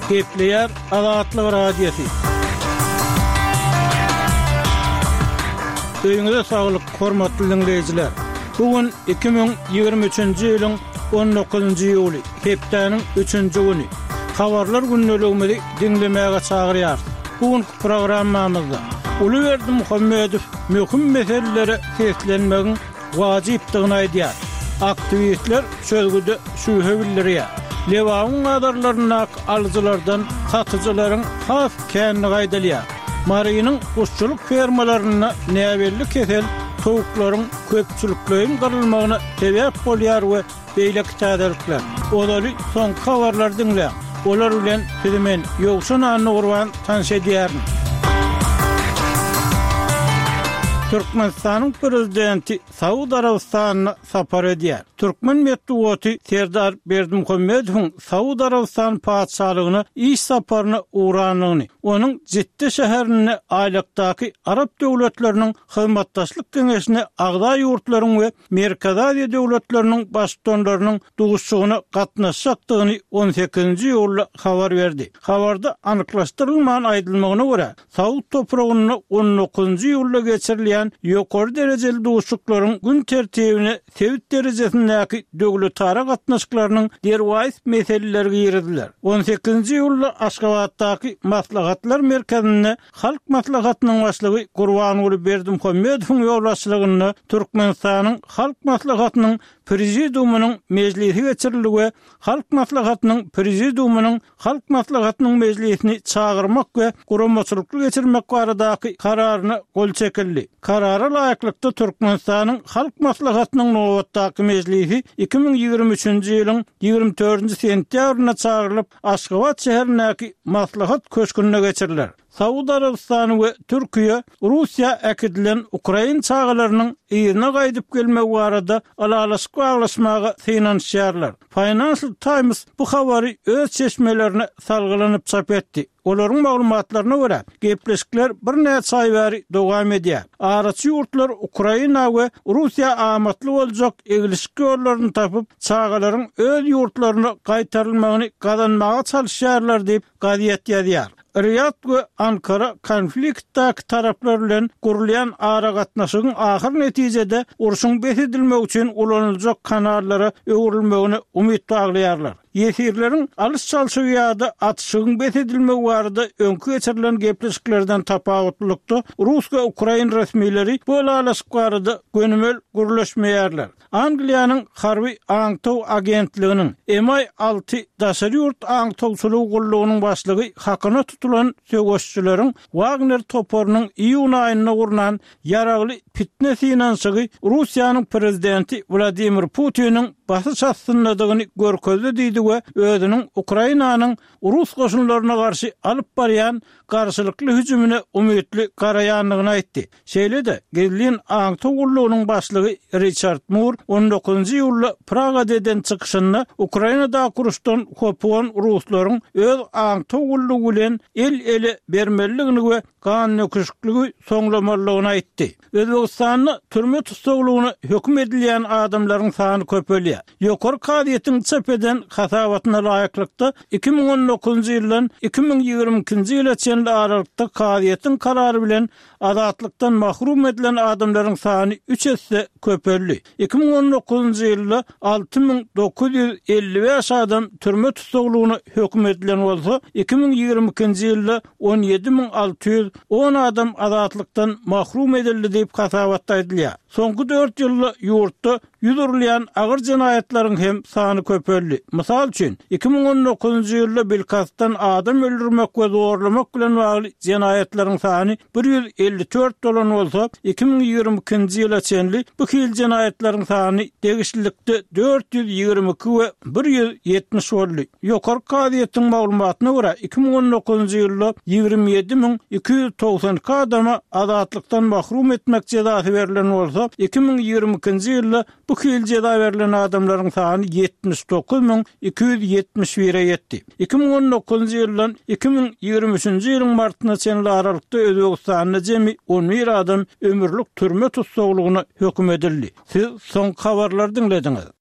Gepleýär Azatlyk Radiosy. Öýüňize saglyk, hormatly diňleýjiler! Bu gün 2023-nji ýylyň 19-njy iýuly, hepdäniň üçünji güni. Habarlar gündeligimizi diňlemäge çagyrýarys. Bu günki programmamyzda Uly Berdimuhamedow möhüm meselelere seslenmegiň wajypdygyny aýdýar. Aktiwistler çözgüde şübhe bildirýär. Lebabyň bazarlaryndaky alyjylardan satyjylaryň has kändigi aýdylýar. Marynyň guşçulyk fermalarynda näbelli kesel towuklaryň köpçülikleýin gyrylmagyna sebäp bolýar we beýleki täzelikler. Ozaly soňky habarlary diňläň. Olar bilen sizi men, Ýowşan Annagurban tanyş edýärin. Türkmenistanyň Prezidenti Saud Arabystanyna sapar edýär. Türkmen metbugaty Serdar Berdimuhamedowyň Saud Arabystany Patyşalygyna iş saparyna ugrandygyny, onuň Jidde şäherinde Aýlakdaky Arap döwletleriniň Hyzmatdaşlyk Geňeşine agza ýurtlaryň we Merkezi Aziýa döwletleriniň Baştutanlarynyň duşuşygyna gatnaşjakdygyny on sekizinji iýulda habar berdi. Habarda anyklaşdyrylman aýdylmagyna görä, saud topragynda on dokuzynjy iýulda geçirilýän ýokary derejeli duşuşyklaryň gün tertibine sebit derejesindäki döwletara gatnaşyklarynyň derwaýys meseleleri giriziler. On sekizinji iýulda Aşgabatdaky Maslahatlar merkezinde Halk Maslahatynyň Başlygy Gurbanguly Berdimuhamedowyň ýolbaşçylygynda Türkmenistanyň Halk Maslahatynyň Prezidiumynyň mejlisi geçirildi we Halk Maslahatynyň Prezidiumynyň Halk Maslahatynyň mejlisini çagyrmak we guramaçylykly geçirmek baradaky Kararyna gol çekildi. Karara laýyklykda, Türkmenistanyň Halk Maslahatynyň nobatdaky mejlisi 2023-nji ýylyň 24-nji sentýabrynda çagyrylyp, Aşgabat şäherindäki Maslahat köşgünde geçiriler. Saud Arabystany we Türkiýe Russiýa äkidilen ukrain çagalarynyň yzyna gaýdyp gelmegi barada ylalaşyk baglaşmaga synanyşýarlar. Financial Times bu habary öz çeşmelerine salgylanyp çap etdi. Olaryň maglumatlaryna görä, gepleşikler birnäçe aý bäri dowam edýär. Araçy ýurtlar Ukraina we Russiýa amatly boljak eglişik ýollaryny tapyp, çagalaryň öz ýurtlaryna gaýtarylmagyny gazanmaga çalyşýarlar diýip, gazet ýazýar. Riýad we Ankara konfliktdäki taraplar bilen gurulýan aragatnaşygyň ahyr netijede urşuň bes edilmegi üçin ulanyljak kanallara öwrülmegine umyt baglaýarlar. Ýesirleriň alyş-çalşygy ýa-da atyşygyň bes edilmegi barada öňki geçirilen gepleşiklerden tapawutlylykda, rus we ukrain resmileri bu ylalaşyk barada gönümel gürleşmeýärler. Angliýanyň harby aňtaw agentliginiň, MI 6 daşary ýurt aňtawçylygy gullugynyň başlygy hakyna tutulan söweşijileriň Wagner toparynyň iýun aýynda gurnan ýaragly pitne synanyşygy Russiýanyň prezidenti Wladimir Putiniň basyş astyndadygyny görkezdi diýdi we özüniň Ukrainanyň rus goşunlaryna garşy alyp barýan garşylykly hüjümine umytly garaýandygyny aýtdy. Şeýle-de, gizlin aňtaw gullugynyň başlygy Riçard Mur on dokuzynjy iýulda Pragada eden çykyşynda Ukrainadaky uruşdan hopugan ruslaryň öz aňtaw gullugy bilen el-ele bermelidigini we gandöküşikligi soňlamalydygyny aýtdy. Özbegistanda türme tussaglygyna höküm edilýän adamlaryň sany köpelýär. Ýokary kazyýetiň çap eden hasabatyna laýyklykda, 2019-njy ýyldan 2022-nji ýyla çenli aralykda kazyýetiň karary bilen Azatlykdan mahrum edilen adamlaryň sany üç esse köpeldi. 2019-njy ýylda 6955 adam türme tussaglygyna höküm edilen bolsa, 2022-nji ýylda 17610 adam azatlykdan mahrum edildi diýip, hasabatda aýdylýar. Soňky dört ýylda ýurtda Ýüz urulýan agyr jenaýatlaryň hem sany köpeldi. Mysal üçin, 2019-njy ýylda bilkastdan adam öldürmek we zorlamak bilen bagly jenaýatlaryň sany 154 bolan bolsa, 2022-nji ýyla çenli bu hili jenaýatlaryň sany degişlilikde 422 we 170 boldy. Ýokary kazyýetiň maglumatyna görä, 2019-njy ýylda 27 292 adama azatlykdan mahrum etmek jezasy berlen bolsa, 2022-nji ýylda bu hili jeza berlen adamlaryň sany 79 271-e ýetdi. 2019-njy ýyldan 2023-nji ýylyň martyna çenli aralykda Özbegistanda jemi 11 adam ömürlik türme tussaglygyna höküm edildi. Siz soňky habarlary diňlediňiz.